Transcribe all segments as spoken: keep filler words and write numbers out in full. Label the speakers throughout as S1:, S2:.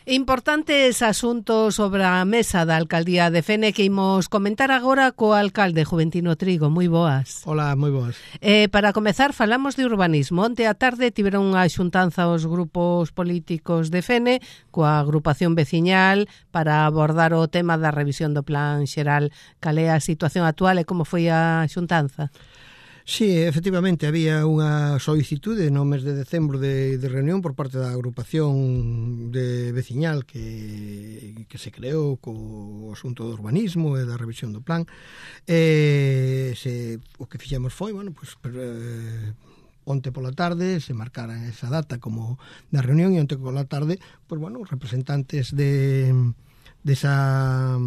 S1: Importantes asuntos sobre a mesa da Alcaldía de Fene que imos comentar agora co alcalde Juventino Trigo. Moi boas.
S2: Hola, moi boas.
S1: Eh, para comezar, falamos de urbanismo. Onte a tarde tiveron unha xuntanza os grupos políticos de Fene coa agrupación veciñal para abordar o tema da revisión do plan xeral. Cal é a situación actual e como foi a xuntanza?
S2: Sí, efectivamente, había unha solicitude no mes de decembro de, de reunión por parte da agrupación de veciñal que, que se creou co asunto do urbanismo e da revisión do plan. E se, o que fixemos foi, bueno, pues, eh, onte pola tarde se marcara esa data como da reunión e onte pola tarde, pues, bueno, representantes de... desa,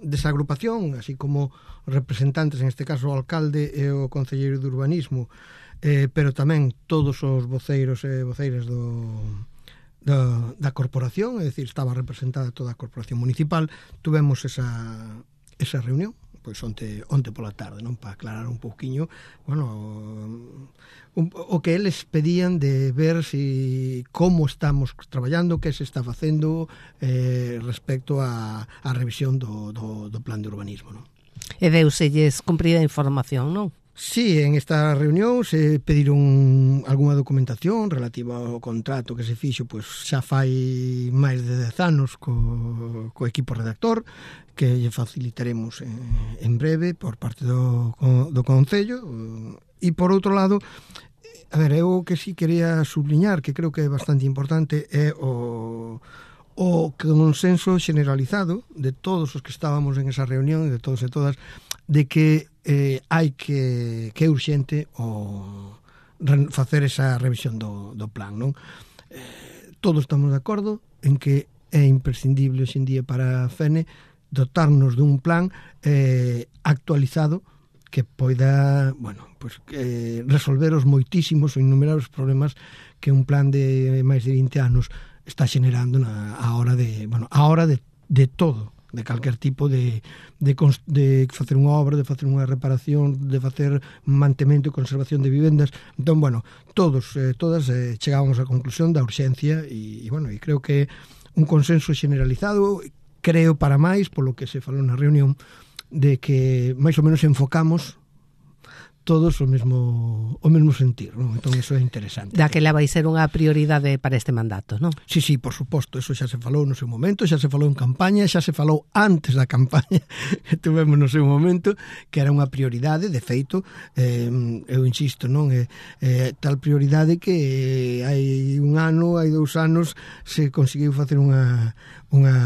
S2: desa agrupación, así como representantes, en este caso o alcalde e o concelleiro de urbanismo, eh, pero tamén todos os voceiros e voceiras do, da, da corporación, é dicir, estaba representada toda a corporación municipal. Tuvemos esa, esa reunión pois onte, onte pola tarde, non, para aclarar un pouquiño, bueno, un, o que eles pedían de ver si como estamos traballando, que se está facendo eh, respecto a, a revisión do, do, do plan de urbanismo, non?
S1: E deuselles cumprida información, non?
S2: Sí, en esta reunión se pediron algunha documentación relativa ao contrato que se fixo, pois xa fai máis de dez anos co, co equipo redactor, que lle facilitaremos en, en breve por parte do, do Concello. E por outro lado, a ver, eu que sí quería subliñar, que creo que é bastante importante, é o... o consenso generalizado de todos os que estábamos en esa reunión, de todos e todas, de que eh, hai que que é urxente o facer esa revisión do, do plan, non? Eh, todos estamos de acordo en que é imprescindible hoxe en día para Fene dotarnos dun plan eh, actualizado que poida, bueno, pues, eh, resolver os moitísimos ou innumerables problemas que un plan de máis de vinte anos está xenerando na, a hora de, bueno, a hora de, de todo, de calquer tipo de, de, de facer unha obra, de facer unha reparación, de facer mantemento e conservación de vivendas. Entón, bueno, todos, eh, todas eh, chegamos á conclusión da urxencia e, e, bueno, e creo que un consenso generalizado, creo para máis, polo que se falou na reunión, de que máis ou menos enfocamos todos o mesmo o mesmo sentir, non? Entón iso é interesante.
S1: Daquela vai ser unha prioridade para este mandato, non?
S2: Sí, sí, por suposto, eso xa se falou no seu momento, xa se falou en campaña, xa se falou antes da campaña que tuvemos no seu momento, que era unha prioridade, de feito, eh, eu insisto, non? É eh, tal prioridade que hai un ano, hai dous anos, se conseguiu facer unha, unha,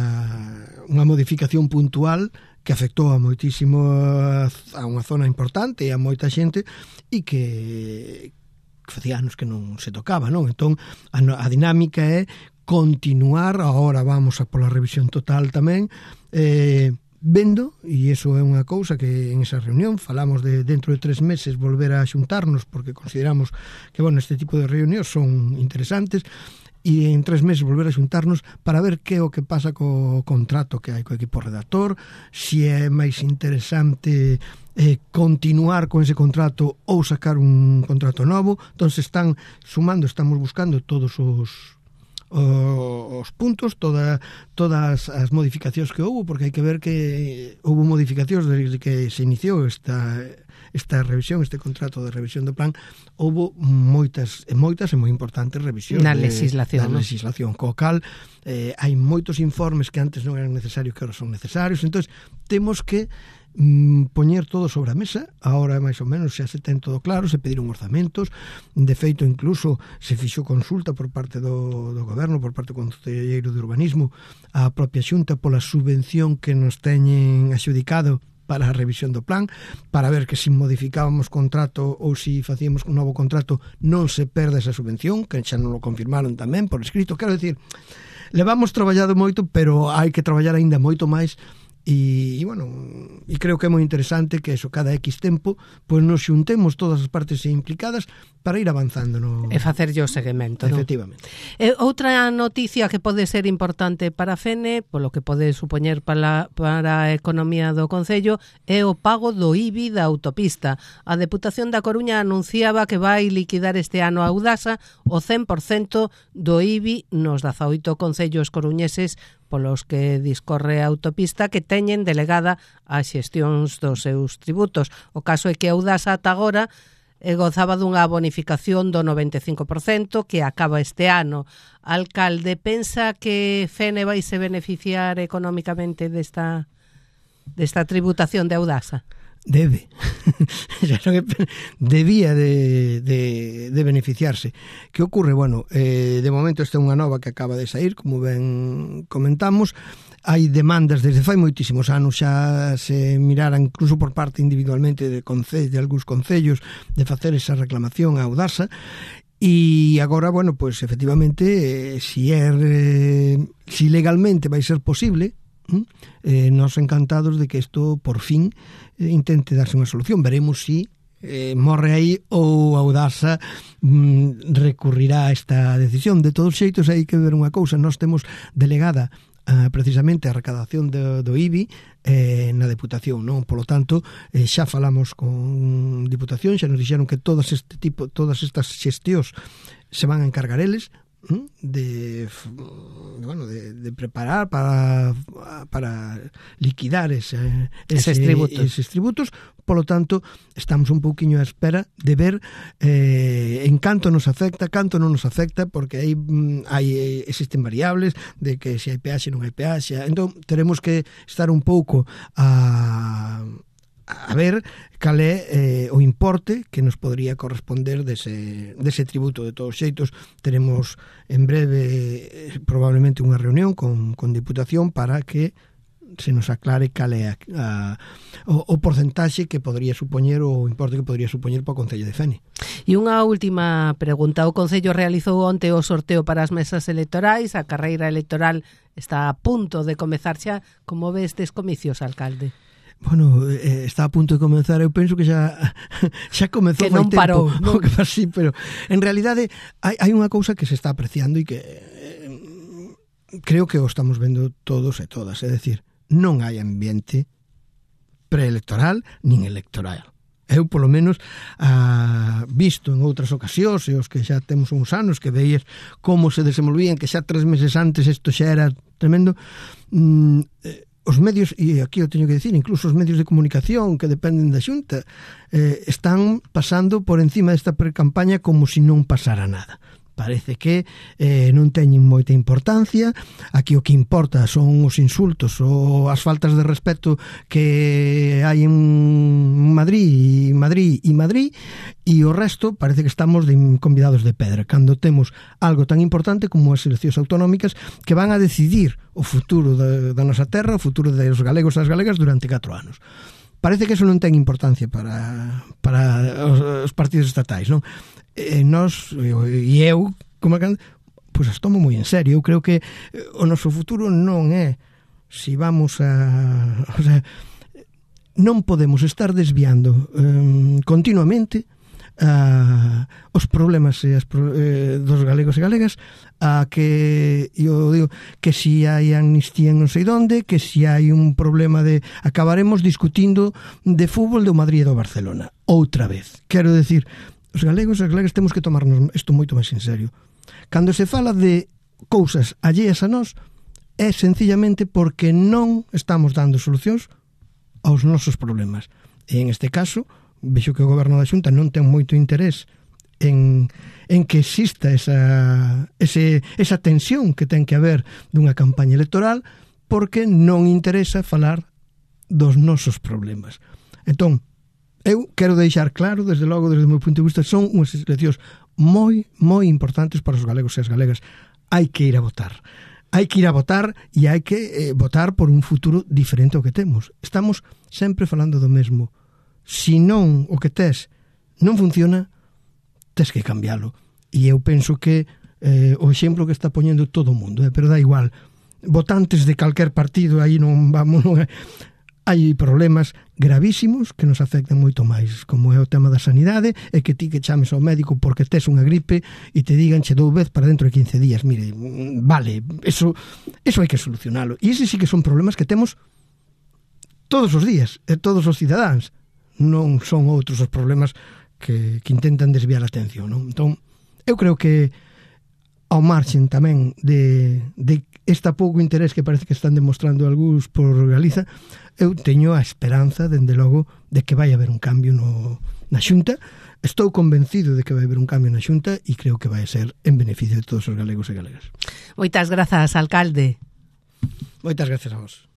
S2: unha modificación puntual que afectou a moitísimo a unha zona importante e a moita xente e que, que facía anos que non se tocaba, non? Entón, a, a dinámica é continuar, agora vamos a pola revisión total tamén, eh, vendo, e iso é unha cousa que en esa reunión falamos de dentro de tres meses volver a xuntarnos porque consideramos que, bueno, este tipo de reunións son interesantes, e en tres meses volver a xuntarnos para ver que é o que pasa co contrato que hai co equipo redactor, se é máis interesante eh, continuar con ese contrato ou sacar un contrato novo. Entón se están sumando, estamos buscando todos os os puntos, toda, todas as modificacións que houve, porque hai que ver que houve modificacións desde que se iniciou esta esta revisión, este contrato de revisión do plan, houve moitas e moitas e moi importantes revisións
S1: na legislación,
S2: da
S1: ¿no?
S2: legislación, co cal eh, hai moitos informes que antes non eran necesarios que ahora son necesarios. Entón temos que mm, poñer todo sobre a mesa. Ahora máis ou menos xa se ten todo claro, se pediron orzamentos, de feito incluso se fixo consulta por parte do, do goberno, por parte do concelleiro de urbanismo a propia xunta pola subvención que nos teñen axudicado para a revisión do plan, para ver que se modificábamos contrato ou se facíamos un novo contrato non se perde esa subvención, que xa non lo confirmaron tamén por escrito. Quero dicir, levamos traballado moito, pero hai que traballar aínda moito máis E, e bueno, e creo que é moi interesante que eso, cada X tempo, pois nos xuntemos todas as partes implicadas para ir avanzando no...
S1: E facerlle o seguimento, non?
S2: Efectivamente.
S1: E outra noticia que pode ser importante para Fene, polo que pode supoñer para, para a economía do Concello, é o pago do I B I da autopista. A Deputación da Coruña anunciaba que vai liquidar este ano a Audasa o cen por cento do I B I nos dezaoito concellos coruñeses polos que discorre a autopista que teñen delegada as xestións dos seus tributos. O caso é que Audasa ata agora e gozaba dunha bonificación do noventa e cinco por cento que acaba este ano. Alcalde, pensa que Fene vai se beneficiar económicamente desta, desta tributación de Audasa?
S2: Debe. Debía de, de, de beneficiarse. Que ocorre? Bueno, eh, de momento esta é unha nova que acaba de sair, como ben comentamos. Hai demandas desde fai moitísimos anos, xa se mirara incluso por parte individualmente de, conce- de algúns concellos de facer esa reclamación a Audasa. E agora, bueno, pues efectivamente, eh, si é eh, si legalmente vai ser posible, eh, nos encantados de que isto por fin eh, intente darse unha solución. Veremos si eh, morre aí ou Audasa mm, recurrirá a esta decisión. De todos xeitos hai que ver unha cousa, nós temos delegada Uh, precisamente a recadación do, do I B I eh, na Deputación, non? Polo tanto, eh, xa falamos con Diputación, xa nos dixeron que todas este tipo, todas estas xestións se van a encargar eles de, bueno, de, de preparar para, para liquidar ese, ese,
S1: eses tributos.
S2: eses tributos. Polo tanto, estamos un pouquiño á espera de ver eh, en canto nos afecta, canto non nos afecta, porque aí hai existen variables de que se hai peaxe non hai peaxe. Entón, teremos que estar un pouco a a ver cal é eh, o importe que nos podría corresponder dese, dese tributo. De todos xeitos, teremos en breve eh, probablemente unha reunión con, con Diputación para que se nos aclare cal é a, a, o, o porcentaxe que podría supoñer, o importe que podría supoñer para o Concello de Fene.
S1: E unha última pregunta. O Concello realizou onte o sorteo para as mesas electorais, a carreira electoral está a punto de comezar xa. Como ves estes comicios, alcalde?
S2: Bueno, eh, está a punto de comenzar. Eu penso que xa xa comezou
S1: que non
S2: tempo,
S1: parou, non?
S2: Que así, pero en realidade hai, hai unha cousa que se está apreciando e que eh, creo que o estamos vendo todos e todas, é decir, non hai ambiente preelectoral nin electoral. Eu, polo menos, ah, visto en outras ocasións, e os que xa temos uns anos que veías como se desenvolvían, que xa tres meses antes isto xa era tremendo, mm, eh, os medios, e aquí o teño que dicir, incluso os medios de comunicación que dependen da Xunta, eh, están pasando por encima desta precampaña como se non pasara nada. Parece que eh, non teñen moita importancia. Aquí o que importa son os insultos ou as faltas de respeto que hai en Madrid, Madrid e Madrid, e o resto parece que estamos de convidados de pedra, cando temos algo tan importante como as eleccións autonómicas que van a decidir o futuro da, da nosa terra, o futuro dos galegos e das galegas durante catro anos. Parece que eso non ten importancia para, para os, os partidos estatais, non? E nós, e eu, como que, pois as tomo moi en serio. Eu creo que o noso futuro non é si vamos a... O sea, non podemos estar desviando um, continuamente uh, os problemas e as, eh, dos galegos e galegas a que, eu digo, que si hai amnistía en non sei donde, que si hai un problema de... Acabaremos discutindo de fútbol do Madrid e do Barcelona. Outra vez. Quero decir... Os galegos e as galegas temos que tomarnos isto moito máis en serio. Cando se fala de cousas alleas a nós, é sencillamente porque non estamos dando solucións aos nosos problemas. E en este caso, vexo que o goberno da Xunta non ten moito interés en, en que exista esa, ese, esa tensión que ten que haber dunha campaña electoral, porque non interesa falar dos nosos problemas. Entón, eu quero deixar claro, desde logo, desde o meu punto de vista, son unhas eleccións moi, moi importantes para os galegos e as galegas. Hai que ir a votar. Hai que ir a votar e hai que eh, votar por un futuro diferente ao que temos. Estamos sempre falando do mesmo. Se non o que tes non funciona, tes que cambiálo. E eu penso que eh, o exemplo que está poñendo todo o mundo, eh, pero dá igual. votantes de calquer partido, aí non vamos, non é. Hai problemas gravísimos que nos afectan moito máis, como é o tema da sanidade, e que ti que chames ao médico porque tes unha gripe e te digan che dous veces para dentro de quince días. Mire, vale, eso, eso hai que solucionalo. E ese sí que son problemas que temos todos os días, e todos os cidadáns. Non son outros os problemas que, que intentan desviar a atención, non? Entón, eu creo que ao marxen tamén de, de esta pouco interés que parece que están demostrando algúns por Galiza, eu teño a esperanza, dende logo, de que vai haber un cambio no, na Xunta. Estou convencido de que vai haber un cambio na Xunta e creo que vai ser en beneficio de todos os galegos e galegas.
S1: Moitas grazas, alcalde.
S2: Moitas grazas a vos.